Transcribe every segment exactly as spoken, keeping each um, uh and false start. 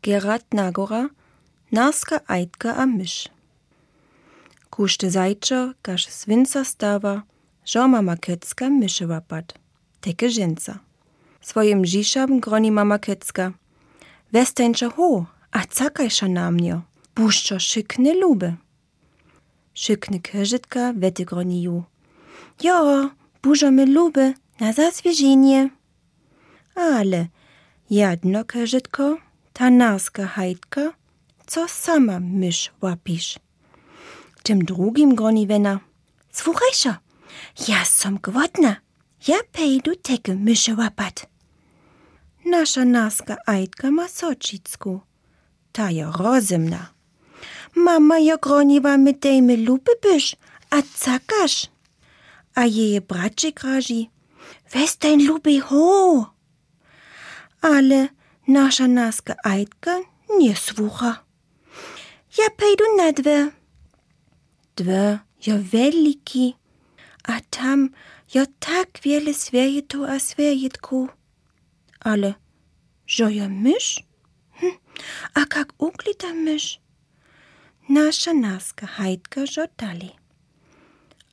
Gerard Nagora, Narska Ajdka a myš. Kušte zajčo, kaž svinca stava, žo mama Kecka myše wapat, teke ženca. Svojim žišam groni mama Kecka. Westeńczo ho, a cakajša na mnio, buščo šykne lube. Šykne kežitka wety groni ju. Jo, bužo me lube, na zaswieżenie. Ale jedno kežitko, ta narska hajdka, co sama myš wapisz. Tym drugim groni wena. Słuchajsza, ja som głodna, ja pejdu teke myše wapat. Nasza narska ajdka ma sočicku, ta je rozumna. Mama jo groniwa my dejmy lupy byš, a cakaš. A jeje bracie graži, westeń lubi ho. Ale nasza narska ajdka nie słucha. Ja pejdu na dve. Dve jo veliki, a tam jo tak wiele sviejetu a sviejetku. Ale žo jo myš? Hm, a kak uklita myš? Nasza narska hajdka žo dali.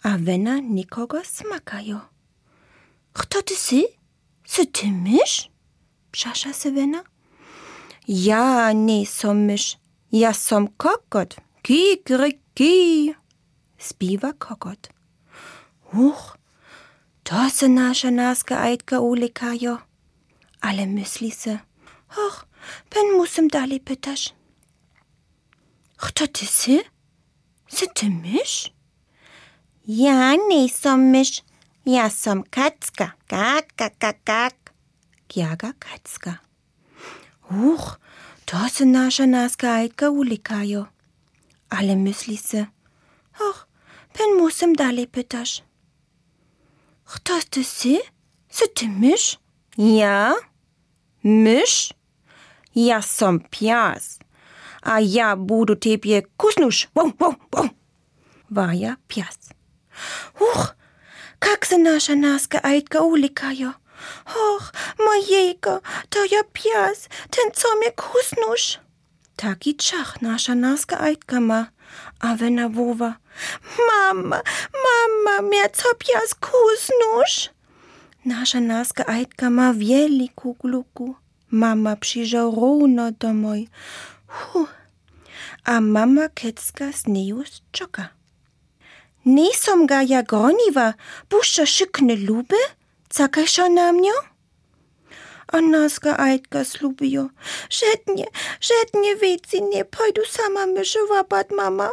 A wena nikogo smakajo. Kto ty si? Si ty myš? Pšaša se wena. Ja nie som myš, ja som kokot. Kikriki, spiwa kokot. Uch, to se nasza narska ajdka ulekajo. Ale myśli se, och, pen musem dalej pytasz. Kto ty si? Si ty myš? Ja nie som myš, ja som Kacka. Kak, kak, kak, kak. Kjaga Kacka. Uch, to se nasza narska ajdka ulekajo. Ale myśli se, och, pen musem dalej pytasz. Kto ty si? Si ty myš? Ja? Myš? Ja som pias, a ja budu tebie kusnuš. Wow, wow, wow. Waja pias. Uch, kak se nasza narska ajdka ulekajo. Och, mojejko, to ja pias, ten co mnie kusnuš. Taki czach nasza narska ajdka ma, a wena wowa. Mama, mama, mnie co pias kusnuš. Nasza narska ajdka ma wieliku gluku. Mama przyjrzał równo domoj. Huh. A mama Kecka z neju czoka. Nisom ga ja groniwa, puszcza szykne luby, cakajsza na mnie? A narska ajdka slubijo. Żednie, żednie wieci nie pojdu sama mysze wapat, mama.